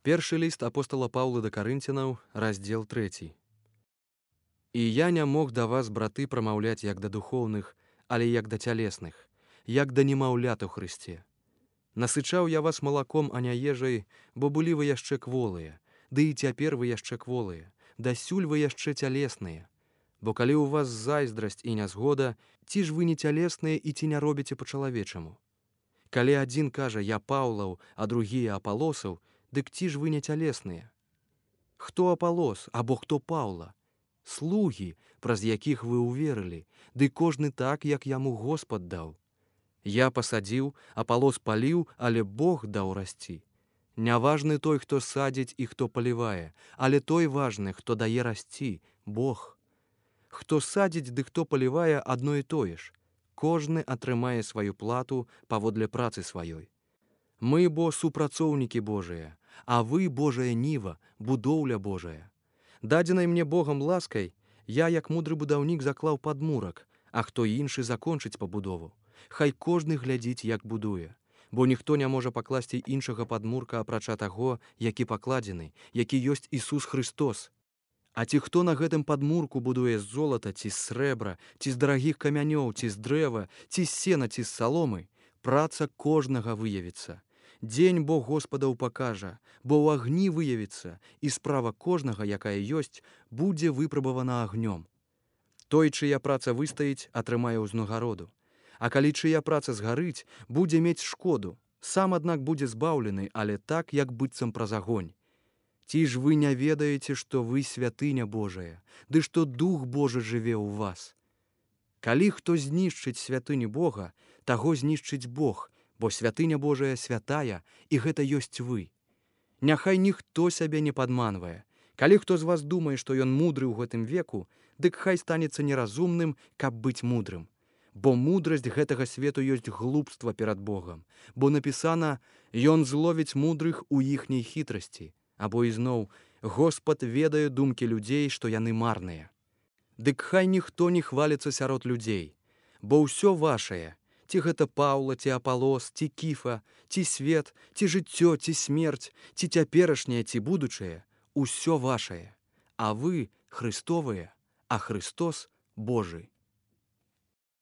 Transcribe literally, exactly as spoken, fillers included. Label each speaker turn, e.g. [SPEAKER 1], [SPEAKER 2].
[SPEAKER 1] Першы ліст апостала Паўла да Карынцянаў, раздзел трэці. І я не мог да вас, браты, прамаўляць як да духоўных, але як да цялесных, як да немаўлят у Хрысце. Насычаў я вас малаком, а не ежай, бо былі вы яшчэ кволыя, ды і цяпер вы яшчэ кволыя, дасюль вы яшчэ цялесныя. Бо калі ў вас зайздрасць і нязгода, ці ж вы не цялесныя і ці не робіце па-чалавечаму? Калі адзін кажа «я Паўлаў», а другія Апалосаў, дык ці ж вы не цялесныя? Хто Апалос, або хто Паўла? Слугі, праз якіх вы ўверылі, ды кожны так, як яму Господ даў. Я пасадзіў, Апалос паліў, але Бог даў расці. Не важны той, хто садзіць і хто палівае, але той важны, хто дае расці, Бог. Хто садзіць ды хто палівае, адно і тое ж. Кожны атрымае сваю плату паводле працы сваёй. Мы бо супрацоўнікі Божыя, а вы, Божая ніва, будоўля Божая. Дадзенай мне Богам ласкай, я, як мудры будаўнік, заклаў падмурак, а хто іншы закончыць пабудову. Хай кожны глядзіць, як будуе, бо ніхто не можа пакласці іншага падмурка, апрача таго, які пакладзены, які ёсць Ісус Христос. А ці хто на гэтым падмурку будуе з золата, ці з срэбра, ці з дарагіх камянёў, ці з дрэва, ці з сена, ці з саломы, праца кожнага выявіцца. Дзень Бог Господаў пакажа, бо ў агні выявіцца, і справа кожнага, якая ёсць, будзе выпрабавана агнём. Той, чыя праца выстаіць, атрымае ўзнагароду. А калі чыя праца згарыць, будзе мець шкоду. Сам, аднак, будзе збаўлены, але так, як быццам праз агонь. Ці ж вы не ведаеце, што вы святыня Божая, ды што Дух Божы жыве ў вас? Калі хто знішчыць святыню Бога, таго знішчыць Бог, бо святыня Божая святая, і гэта ёсць вы. Няхай ніхто сябе не падманвае. Калі хто з вас думае, што ён мудры ў гэтым веку, дык хай станецца неразумным, каб быць мудрым. Бо мудрасць гэтага свету ёсць глупства перад Богам, бо напісана «Ён зловіць мудрых у іхняй хітрасці», або ізноў «Господ ведае думкі людзей, што яны марныя». Дык хай ніхто не хваліцца сярод людзей, бо ўсё вашае, ці гэта Паўла, ці Апалос, ці Кіфа, ці свет, ці жыццё, ці смерць, ці цяперашняе, ці будучае, усё вашае, а вы Христовыя, а Христос Божы.